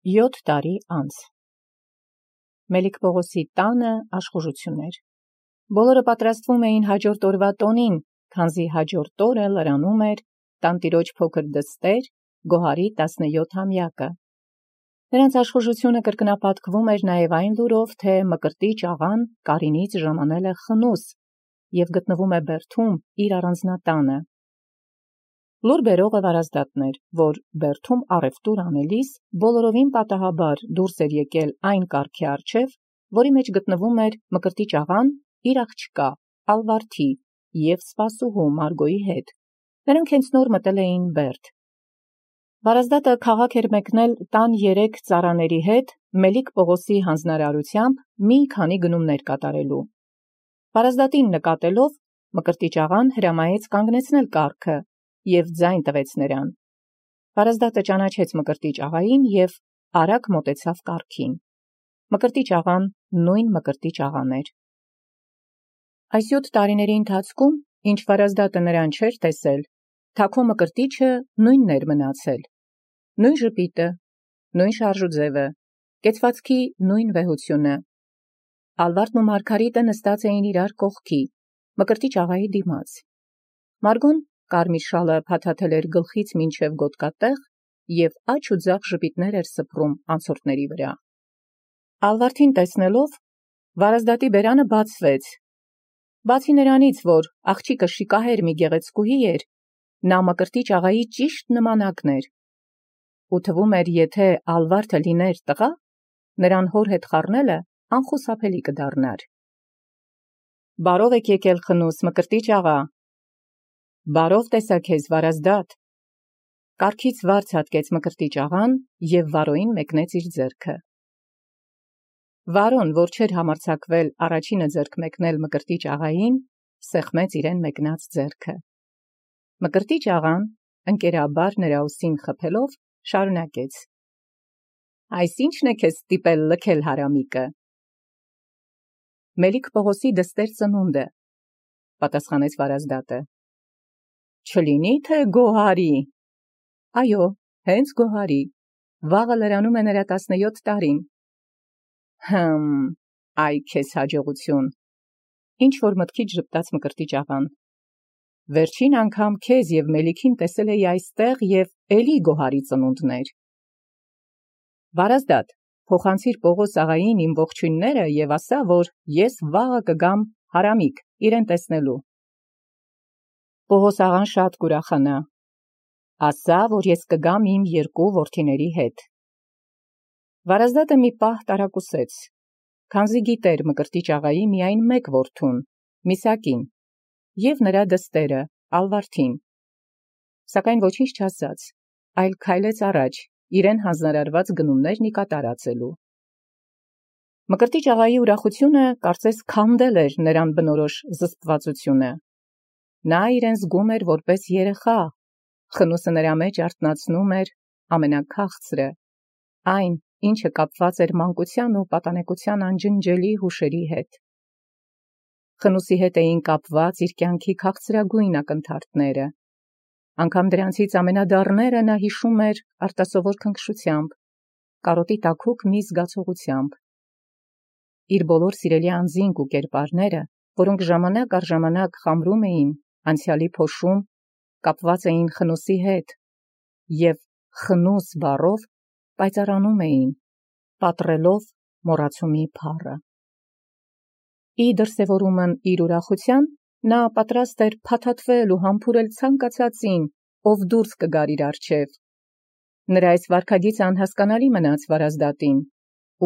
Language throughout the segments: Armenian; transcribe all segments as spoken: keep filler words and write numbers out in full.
Յոթ տարի անց Մելիք Պողոսի տանը աշխուժություններ։ Բոլորը պատրաստվում էին հաջորդ օրվա տոնին, քանզի հաջորդ օրը լրանում էր տանտիրոջ փոքր դստեր Գոհարի տասնյոթամյակը։ Նրանց աշխուժությունը կրկնապատկվում էր նաև այն լուրով, թե Մկրտիչ աղան Կարինից ժամանել է խնուս և գտնվում է Բերդում իր առանձնատանը։ Լուր բերողը Վարազդատն էր, որ Բերդում առևտուր անելիս բոլորովին պատահաբար դուրս էր եկել այն կառքի առջև, որի մեջ գտնվում էր Մկրտիչ աղան իր աղջկա Ալվարդի և սպասուհու Մարգոյի հետ։ Նրանք հենց նոր մտել էին Բերդ։ Վարազդատը քաղաք էր մեկնել տան երեք ծառաների հետ Մելիք Պողոսի հանձնարարությամբ մի քանի գնումներ կատարելու։ Վարազդատին նկատելով Մկրտիչ աղան հրամայեց կանգնեցնել կառքը և ձայն տվեց նրան։ Վարազդատը ճանաչեց Մկրտիչ աղային և արագ մոտեցավ կառքին։ Մկրտիչ աղան նույն Մկրտիչ աղան էր։ Այս յոթ տարիների ընթացքում, ինչ Վարազդատը նրան չէր տեսել, թագու Մկրտիչը նույնն էր մնացել. նույն ժպիտը, նույն շարժուձևը, կեցվածքի նույն վեհությունը։ Ալվարդն ու Մարգարիտը նստած էին իրար կողքի, Մկրտիչ աղայի դիմաց։ Մարգոն կարմիր շալը փաթաթել էր գլխից մինչև գոտկատեղ և աջ ու ձախ ժպիտներ էր սփռում անցորդների վրա։ Ալվարդին տեսնելով, Վարազդատի բերանը բացվեց։ Բացի նրանից, որ աղջիկը շիկահեր մի գեղեցկուհի էր, նա Մկրտիչ աղայի ճիշտ նմանակն էր, ու թվում էր, եթե Ալվարդը լիներ տղա, նրան հոր հետ խառնելը անխուսափելի կդառնար։ Բարով եք եկել խնուս, Մկրտիչ աղա։ Բարով տեսա քեզ, Վարազդատ։ Կառքից վարձ հատկեց Մկրտիչ աղան և Վարոյին մեկնեց իր ձեռքը։ Վարոն, որ չէր համարձակվել առաջինը ձեռք մեկնել Մկրտիչ աղային, սեղմեց իրեն մեկնած ձեռքը։ Մկրտիչ աղան, ընկերաբար նրա ուսին խփելով, շարունակեց. Այս ի՞նչն է քեզ ստիպել լքել հարամիկը։ Մելիք Պողոսի դստեր ծնունդը, պատասխանեց Վարազդատը։ Չլինի թե Գոհարի։ Այո, հենց Գոհարի, վաղը լրանում է նրա տասնյոթ տարին։ Հըմ, այ քեզ հաջողություն։ Ինչ որ մտքից ժպտաց Մկրտիչ աղան։ Վերջին անգամ քեզ և Մելիքին տեսել էի այստեղ և էլի Գոհարի ծնունդներ։ Վարազդատ, փոխանցիր Պողոս աղային իմ ողջույնները և ասա, որ ես վաղը կգամ հարամիկ իրեն տեսնելու։ Պողոս աղան շատ կուրախանա։ Ասա, որ ես կգամ իմ երկու որդիների հետ։ Վարազդատը մի պահ տարակուսեց, քանզի գիտեր Մկրտիչ աղայի միայն մեկ որդուն, Միսակին, և նրա դստերը, Ալվարդին։ Սակայն ոչինչ չասաց, այլ քայլեց առաջ, իրեն հանձնարարված գնումներն ի կատարածելու։ Մկրտիչ աղայի ուրախությունը կարծես քանդել էր նրան բնորոշ զսպվածությունը։ Նա իրեն զգում էր որպես երեխա, խնուսը նրա մեջ արթնացնում էր ամենաքաղցրը, այն, ինչը կապված էր մանկության ու պատանեկության անջնջելի հուշերի հետ։ Խնուսի հետ էին կապված իր կյանքի քաղցրագույն ակնթարթները։ Անգամ դրանցից ամենադառները նա հիշում էր արտասովոր քնքշությամբ, կարոտի տաքուկ մի զգացողությամբ։ Իր բոլոր սիրելի անձինք ու կերպարները, որոնք ժամանակ առ ժամանակ խամրում էին անցյալի փոշում, կապված էին խնուսի հետ և խնուս բառով պայծառանում էին, պատռելով մոռացումի փառը։ Ի դրսևորումն իր ուրախության, նա պատրաստ էր փաթաթվել ու համբուրել ցանկացածին, ով դուրս կգար իր առջև։ Նրա այս վարքագիծը անհասկանալի մնաց Վարազդատին,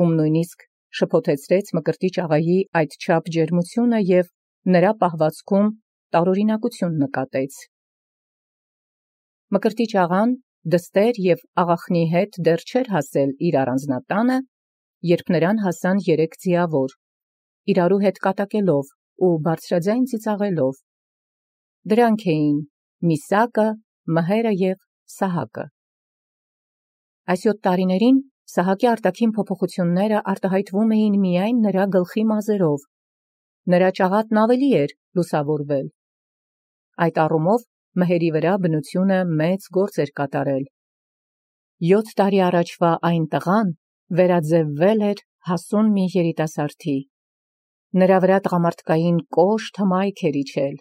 ում նույնիսկ շփոթեցրեց Մկրտիչ աղայի այդչափ ջերմությունը և նրա պահվածքում տարօրինակություն նկատեց։ Մկրտիչ աղան դստեր և աղախնի հետ դեռ չէր հասել իր առանձնատանը, երբ նրան հասան երեք ձիավոր, իրարու հետ կատակելով ու բարձրաձայն ծիծաղելով։ Դրանք էին Միսակը, Մհերը և Սահակը։ Այս յոթ տարիներին Սահակի արտաքին փոփոխությունները արտահայտվում էին միայն նրա գլխի մազերով։ Նրա ճաղատն ավելի էր լուսավորվել։ Այդ առումով Մհերի վրա բնությունը մեծ գործ էր կատարել։ յոթ տարի առաջվա այն տղան վերաձևվել էր հասուն մի երիտասարդի։ Նրա վրա տղամարդկային կոշտ հմայք էր իջել։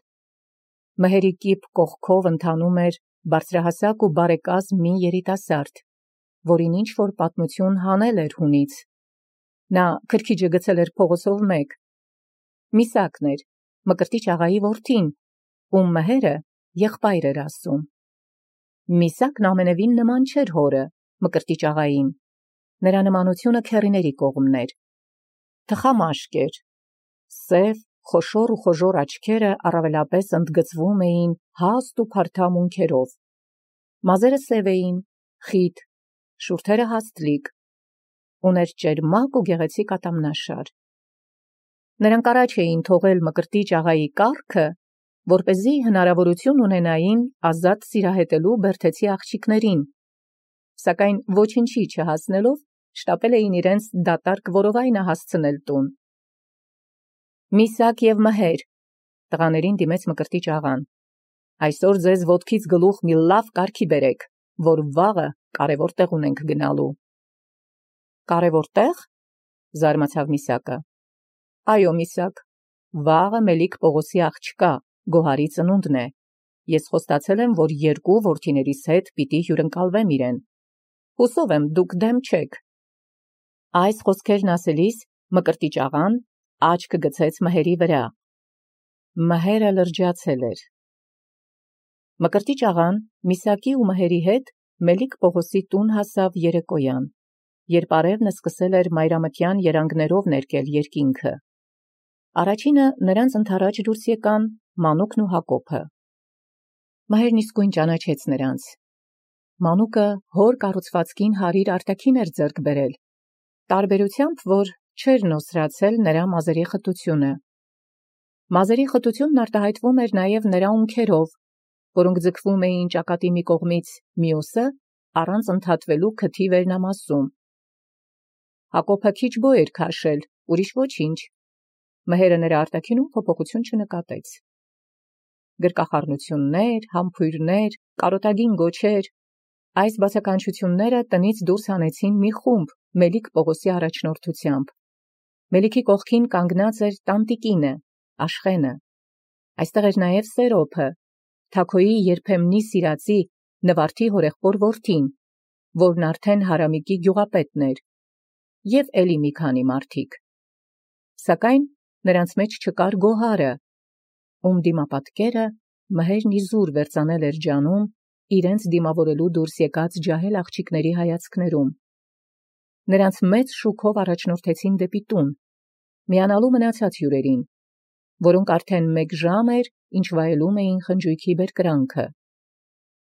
Մհերի կիպ կողքով ընթանում էր բարձրահասակ ու բարեկազմ մի երիտասարդ, որին ինչ-որ պատմություն հանել էր հունից։ Նա քրքիջը գցել էր փողոցով մեկ։ Միսակն էր, Մկրտիչ աղայի որդին, ում մհերը եղբայր էր ասում։ Միսակն ամենևին նման չէր հորը, Մկրտիչ աղային, նրա նմանությունը քեռիների կողմն էր։ Թխամաշկ էր, սև, խոշոր ու խոժոր աչքերը առավելապես ընդգծվում էին հաստ ու փարթամ ունքերով։ Մազերը սև էին, խիտ, շուրթերը հաստլիկ, ուներ ճերմակ ու գեղեցիկ ատամնաշար։ Նրանք առաջ էին թողել Մկրտիչ աղայի կառքը, որպեսզի հնարավորություն ունենային ազատ սիրահետելու բերդեցի աղջիկներին, սակայն ոչնչի չհասնելով շտապել էին իրենց դատարկ որովայնը հասցնել տուն։ Միսակ և մհեր, տղաներին դիմեց Մկրտիչ աղան, այսօր ձեզ ոտքից գլուխ մի լավ կարգի բերեք, որ վաղը կարևոր տեղ ունենք գնալու։ Կարևոր տեղ, զարմացավ Միսակը։ Այո, Միսակ, վաղը Մելիք Պողոսի աղջկա Գոհարի ծնունդն է։ Ես խոստացել եմ, որ երկու որդիներիս հետ պիտի հյուրընկալվեմ իրեն։ Հուսով եմ դուք դեմ չեք։ Այս խոսքերն ասելիս Մկրտիչ աղան աչքը գցեց մհերի վրա։ Մհերը լրջացել էր։ Մկրտիչ աղան Միսակի ու մհերի հետ Մելիք Պողոսի տուն հասավ երեկոյան, երբ արևն սկսել էր մայրամտյան երանգներով ներկել երկինքը։ Առաջինը նրանց ընդառաջ դուրս եկան Մանուկն ու Հակոբը։ Մհերն իսկույն ճանաչեց նրանց։ Մանուկը հոր կառուցվածքին հարիր արտաքին էր ձեռք բերել, տարբերությամբ, որ չէր նոսրացել նրա մազերի խտությունը։ Մազերի խտությունն արտահայտվում էր նաև նրա ունքերով, որոնք ձգվում էին ճակատի մի կողմից մյուսը առանց ընդհատվելու քթի վերնամասում։ Հակոբը քիչ բո էր քաշել, ուրիշ ոչինչ։ Մհերը նրա արտաքինում փոփոխություն չնկատեց։ Գրկախառնություններ, համբույրներ, կարոտագին գոչեր, այս բացականչությունները տնից դուրս հանեցին մի խումբ Մելիք Պողոսի առաջնորդությամբ։ Մելիքի կողքին կանգնած էր տանտիկինը, Աշխենը։ Այստեղ էր նաև Սերոփը, Թաքոյի երբեմնի սիրածի Նվարդի հորեղբոր որդին, որն արդեն Հարամիկի գյուղապետն էր, և էլի մի քանի մարդիկ։ Սակայն նրանց մեջ չկար Գոհարը, ում դիմապատկերը մհերն իզուր վերծանել էր ջանում իրենց դիմավորելու դուրս եկած ջահել աղջիկների հայացքներում։ Նրանց մեծ շուքով առաջնորդեցին դեպի տուն, միանալու մնացած հյուրերին, որոնք արդեն մեկ ժամ էր, ինչ վայելում էին խնջույքի բերկրանքը։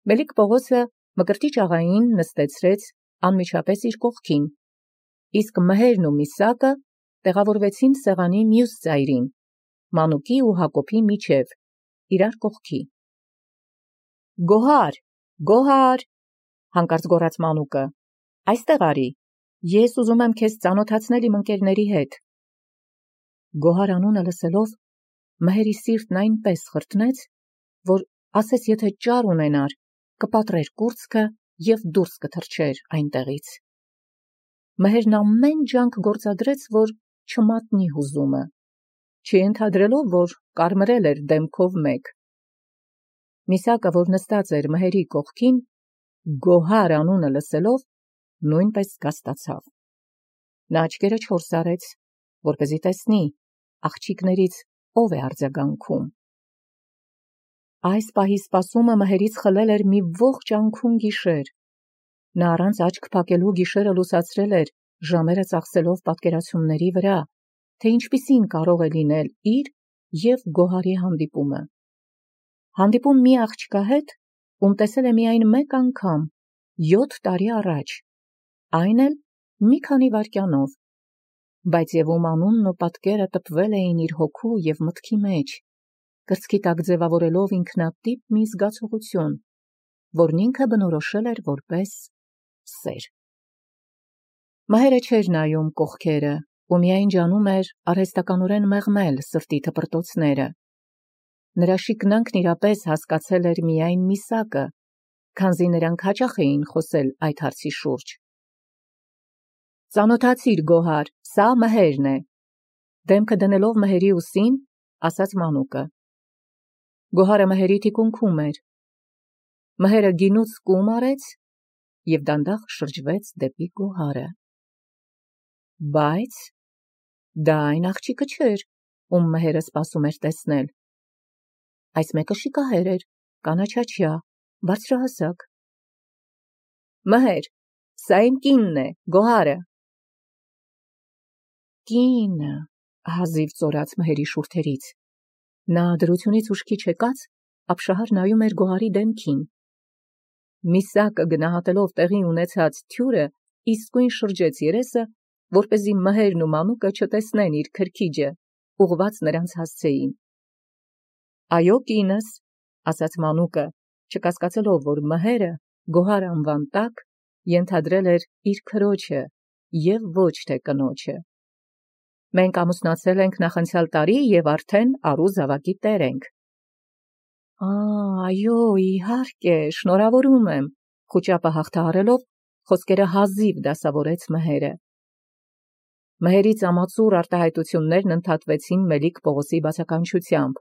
Մելիք Պողոսը Մկրտիչ աղային նստեցրեց անմիջապես իր կողքին, իսկ մհերն ու Միսակը տեղավորվեցին սեղանի մյուս ծայրին, Մանուկի ու Հակոբի միջև, իրար կողքի։ Գոհար, Գոհար, հանկարծ գոռաց Մանուկը, այստեղ արի, ես ուզում եմ քեզ ծանոթացնել իմ ընկերների հետ։ Գոհար անունը լսելով, մհերի սիրտն այնպես խրտնեց, որ ասես եթե ճար ունենար, կպատրեր կուրծքը և դուրս կթռչեր այնտեղից։ Մհերն ամեն ջանք գործադրեց, որ չմատնի հուզումը, չընդհանրելով, որ կարմրել էր դեմքով մեկ։ Միսակը, որ նստած էր մհերի կողքին, Գոհար անունը լսելով, նույնպես կասկածավ։ Նա աչքերը չորս արեց, որպեսզի տեսնի աղջիկներից ով է արձագանքում։ Այս պահի սպասումը մհերից խլել էր մի ողջ անքուն գիշեր։ Նա առանց աչք փակելու գիշերը լուսացրել էր, ժամերը ծախսելով պատկերացումների վրա, թե ինչպիսին կարող է լինել իր և Գոհարի հանդիպումը։ Հանդիպում մի աղջկա հետ, ում տեսել է միայն մեկ անգամ, յոթ տարի առաջ, այն էլ մի քանի վայրկյանով, բայց և ում անունն ու պատկերը տպվել էին իր հոգու և մտքի մեջ, կրծքի տակ ձևավորելով ինքնատիպ մի զգացողություն, որն ինքը բնորոշել էր որպես սեր։ Մհերը չէր նայում կողքերը, ու միայն ջանում էր արհեստականորեն մեղմել սրտի թպրտոցները։ Նրա շիկնանքն իրապես հասկացել էր միայն Միսակը, քանզի նրանք հաճախ էին խոսել այդ հարցի շուրջ։ «Ծանոթացիր, Գոհար, սա Մհերն է», դեմքը դնելով Մհերի ուսին, ասաց մանուկը։ Գոհարը Մհերի թիկունքում էր։ Մհերը գինուց կում արեց և դանդաղ շրջվեց դեպի Գոհարը։ Բայց դա այն աղջիկը չէր, ում Մհերը սպասում էր տեսնել։ Այս մեկը շիկահեր էր, կանաչաչյա, բարձրահասակ։ Մհեր, սա իմ կինն է, Գոհարը։ Կինը, հազիվ ծորաց Մհերի շուրթերից։ Նա դրությունից ուշքի չեկած, ապշահար նայում էր Գոհարի դեմքին։ Միսակը գնահատելով տեղի ունեցած թյուրը, իսկույն շրջեց երեսը, որպեսզի Մհերն ու մանուկը չտեսնեն իր քրքիջը, ուղղված նրանց հասցեին։ Այո, կինս, ասաց մանուկը, չկասկածելով, որ Մհերը Գոհար անվան տակ ենթադրել էր իր քրոջը և ոչ թե կնոջը։ Մենք ամուսնացել ենք նախանցյալ տարի և արդեն առու զավակի տեր ենք։ Այո, իհարկե, շնորհավորում եմ, խուճապը հաղթահարելով, խոսքերը հազիվ դասավորեց Մհերը։ Մհերի ծամածուռ արտահայտություններն ընդհատվեցին Մելիք Պողոսի բացականչությամբ։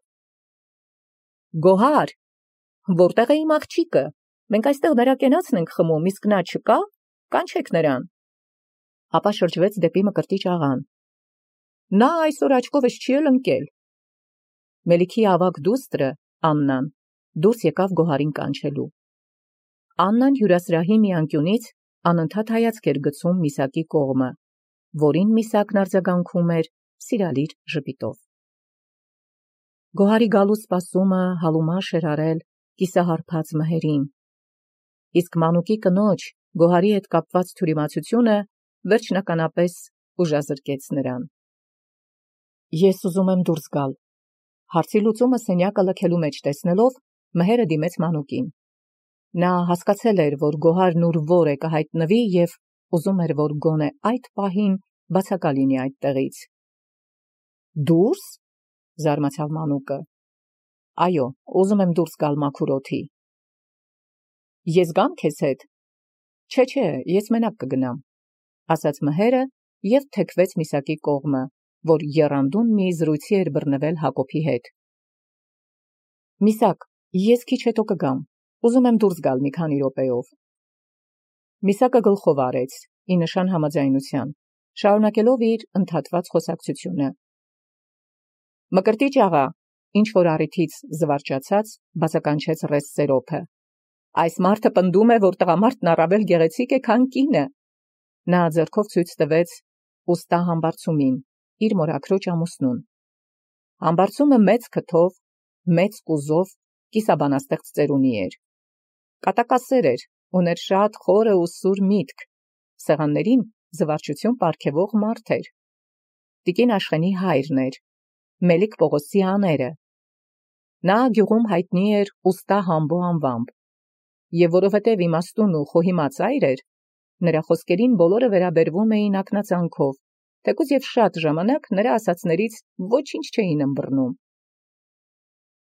Գոհար, որտեղ է իմ աղջիկը։ Մենք այստեղ նրա կենացն ենք խմում, իսկ նա չկա, կանչեք նրան։ Ապա շրջվեց դեպի Մկրտիչ աղան։ Նա այսօր աչքովս չի էլ ընկել։ Մելիքի ավագ դուստրը, Աննան, դուրս եկավ Գոհարին կանչելու։ Աննան հյուրասրահի մի անկյունից անընդհատ հայացք էր գցում Միսակի կողմը, որին Միսակն արձագանքում էր սիրալիր ժպիտով։ Գոհարի գալու սպասումը հալումաշ էր արել կիսահարբած Մհերին, իսկ մանուկի կնոջ Գոհարի հետ կապված թյուրիմացությունը վերջնականապես ուժազրկեց նրան։ Ես ուզում եմ դուրս գալ, հարցի լուծումը սենյակը լքելու մեջ տեսնելով, Մհերը դիմեց մանուկին։ Նա հասկացել էր, որ Գոհարն ուր որ է կհայտնվի և ուզում էր, որ գոնե այդ պահին բացակա լինի այդտեղից։ Դուրս, զարմացավ մանուկը։ Այո, ուզում եմ դուրս գալ մաքուր օդի։ Ես գամ քեզ հետ։ Չէ, չէ, ես մենակ կգնամ, ասաց Մհերը և թեքվեց Միսակի կողմը, որ եռանդուն մի զրույցի էր բռնվել Հակոբի հետ։ Միսակ, ես քիչ հետո կգամ, ուզում եմ դուրս գալ մի քանի րոպեով։ Միսակը գլխով արեց, ի նշան համաձայնության, շարունակելով իր ընդհատված խոսակցությունը։ Մկրտիչ աղա, ինչ որ առիթից զվարճացած, բացականչեց ռես Սերոփը։ Այս մարդը պնդում է, որ տղամարդն առավել գեղեցիկ է, քան կինը։ Նա ձեռքով ցույց տվեց ուստա համբարձումին, իր մորաքրոջ ամուսնուն։ Համբարձումը մեծ քթով, մեծ կուզով, կիսաբանաստեղծ ծերունի էր։ Կատակասեր էր, ուներ շատ խորը ու սուր միտք, սեղաններին զվարճություն պարգևող մարդ էր։ Տիկին Աշխենի հայրն էր, Մելիք Պողոսի աները։ Նա գյուղում հայտնի էր ուստա Համբո անվամբ, և որովհետև իմաստուն ու խոհիմաց այր էր, նրա խոսքերին բոլորը վերաբերվում էին ակնածանքով, թեկուզ և շատ ժամանակ նրա ասածներից ոչինչ չէին ըմբռնում։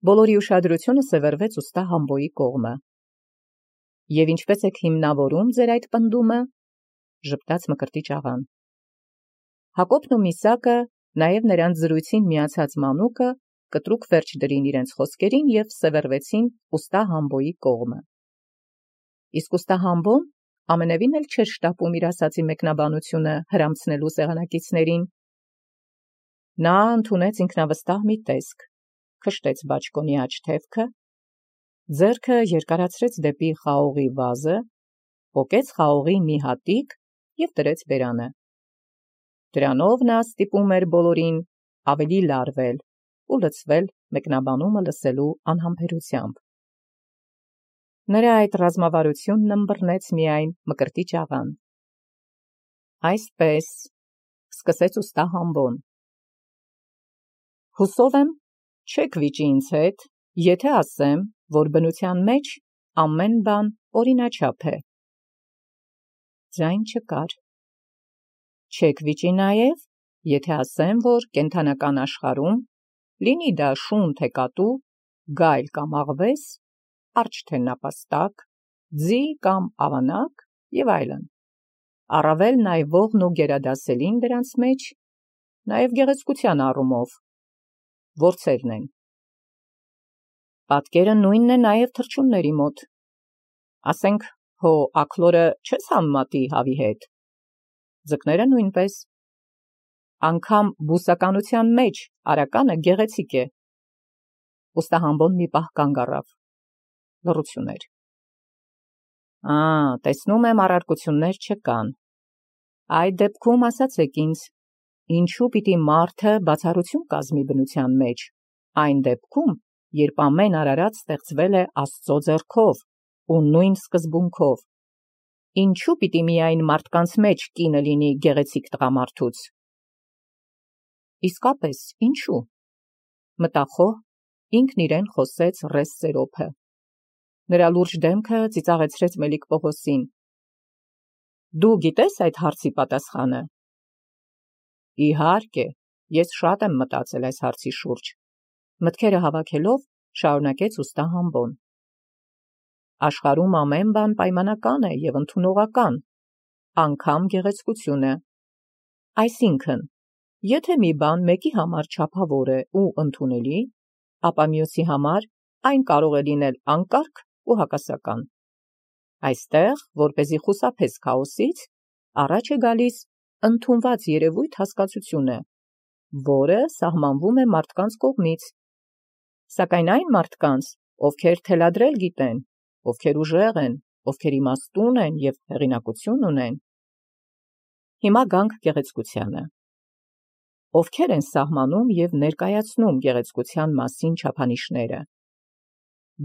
Բոլորի ուշադրությունը սևեռվեց ուստա Համբոյի կողմը։ Եվ ինչպես եք հիմնավորում ձեր այդ պնդումը, ժպտաց Մկրտիչ աղան։ Հակոբն ու Միսակը, նաև նրանց զրույցին միացած մանուկը, կտրուկ վերջ դրին իրենց խոսքերին և սևեռվեցին ուստա Համբոյի կողմը։ Իսկ ուստա Համբոն ամենևին էլ չէր շտապում իր ասածի մեկնաբանությունը հրամցնելու սեղանակիցներին։ Նա ընդունեց ինքնավստահ մի տեսք, քշտեց բաճկոնի աջ թևքը, ձեռքը երկարացրեց դեպի խաղողի վազը, պոկեց խաղողի մի հատիկ և դրեց բերանը։ Դրանով նա ստիպում էր բոլորին ավելի լարվել ու լցվել մեկնաբանումը լսելու անհամբերությամբ։ Նրա այդ ռազմավարությունն ըմբռնեց միայն Մկրտիչ աղան։ Այսպես, սկսեց ուստա Համբոն. Հուսով եմ, չեք վիճի ինձ հետ, եթե ասեմ, որ բնության մեջ ամեն բան օրինաչափ է։ Ձայն չկար։ Չեք վիճի նաև, եթե ասեմ, որ կենդանական աշխարհում, լինի դա շուն թե կատու, գայլ կամ աղվես, արջ թե նապաստակ, ձի կամ ավանակ եւ այլն։ Առավել նայվողն ու գերադասելին դրանց մեջ, նաեւ գեղեցկության առումով, որցերն են։ Պատկերը նույնն է նաեւ թռչունների մոտ։ Ասենք, հո աքլորը չես համեմատի հավի հետ։ Ձկները նույնպես։ Անգամ բուսականության մեջ արականը գեղեցիկ է։ Ուստահամբոն մի պահ կանգ առավ։ Լռություն էր։ Ա, տեսնում եմ առարկություններ չկան։ Այդ դեպքում ասացեք ինձ, ինչու պիտի մարդը բացառություն կազմի բնության մեջ, այն դեպքում, երբ ամեն արարած ստեղծվել է Աստծո ձեռքով ու նույն սկզբունքով, ինչու պիտի միայն մարդկանց մեջ կինը լինի գեղեցիկ տղամարդուց։ Իսկապես, ինչու։ Մտախոհ ինքն իրեն խոսեց Ռես Սերոփը։ Նրա լուրջ դեմքը ծիծաղեցրեց Մելիք-Պողոսին։ Դու գիտես այդ հարցի պատասխանը։ Իհարկե, ես շատ եմ մտածել այս հարցի շուրջ։ Մտքերը հավաքելով շարունակեց ուստահամբոն։ Աշխարհում ամեն բան պայմանական է եւ ընդունողական, անգամ գեղեցկությունը։ Այսինքն, եթե մի բան մեկի համար չափավոր է ու ընդունելի, ապա մյուսի համար այն կարող է լինել անկարգ ու հակասական։ Այստեղ, որպեսզի խուսափես քաոսից, առաջ է գալիս ընդունված երևույթ հասկացությունը, որը սահմանվում է մարդկանց կողմից։ Սակայն այն մարդկանց, ովքեր թելադրել գիտեն, ովքեր ուժեղ են, ովքեր իմաստուն են եւ հեղինակություն ունեն։ Հիմա գանք գեղեցկությանը։ Ովքեր են սահմանում եւ ներկայացնում գեղեցկության մասին չափանիշները։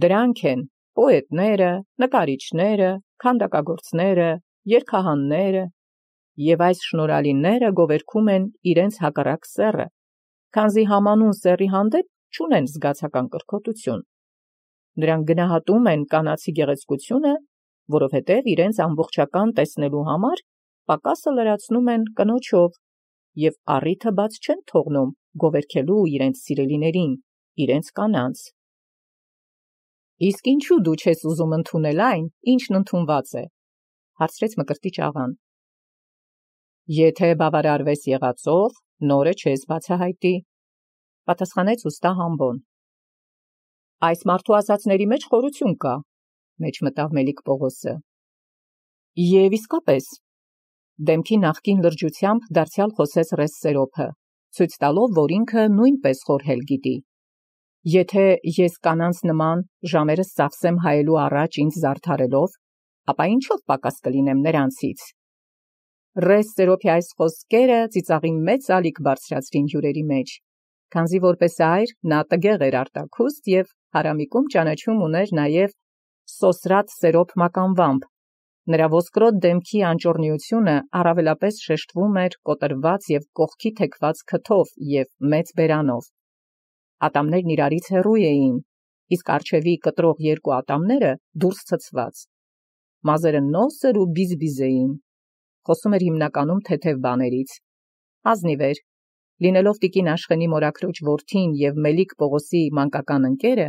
Դրանք են պոետները, նկարիչները, քանդակագործները, երգահանները, եւ այս շնորհալիները գովերգում են իրենց հակառակ սեռը, քանզի համանուն սեռի հանդեպ չունեն զգացական կրքոտություն։ Նրանք գնահատում են կանացի գեղեցկությունը, որովհետև իրենց ամբողջական տեսնելու համար պակասը լրացնում են կնոջով եւ առիթը բաց չեն թողնում գովերգելու իրենց սիրելիներին, իրենց կանանց։ Իսկ ինչու դու չես ուզում ընդունել այն, ինչն ընդունված է, հարցրեց Մկրտիչ աղան։ Եթե բավարարվես եղածով, նորը չես բացահայտի, պատասխանեց ուստա Համբոն։ Այս մարդու ասածների մեջ խորություն կա, մեջ մտավ Մելիք Պողոսը։ Եվ իսկապես, դեմքի նախկին լրջությամբ դարձյալ խոսեց Ռես Սերոփը, ցույց տալով, որ ինքը նույնպես խորհել գիտի։ Եթե ես կանանց նման ժամերս ծախսեմ հայելու առաջ ինձ զարդարելով, ապա ինչով պակաս կլինեմ նրանցից։ Ռես Սերոփի այս խոսքերը ծիծաղի մեծ ալիք բարձրացրին հյուրերի մեջ, քանզի որպես այր նա տգեղ էր արտաքուստ եւ հարամիկում ճանաչում ուներ նաեւ Սոսրատ Սերոփ մականվամբ։ Նրա ոսկրոտ դեմքի անճոռնիությունը առավելապես շեշտվում էր կոտրված եւ կողքի թեքված քթով եւ մեծ բերանով։ Ատամներն իրարից հեռու էին, իսկ արջևի կտրող երկու ատամները դուրս ցցված։ Մազերը նոսր ու բիզբիզ էին։ Խոսում էր հիմնականում թեթև բաներից։ Ազնիվ էր, լինելով տիկին Աշխենի մորաքրոջ որդին եւ Մելիք Պողոսի մանկական ընկերը,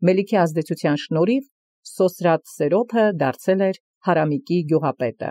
Մելիքի ազդեցության շնորհիվ Սոսրատ Սերոփը դարձել էր հարամիկի գյուղապետը։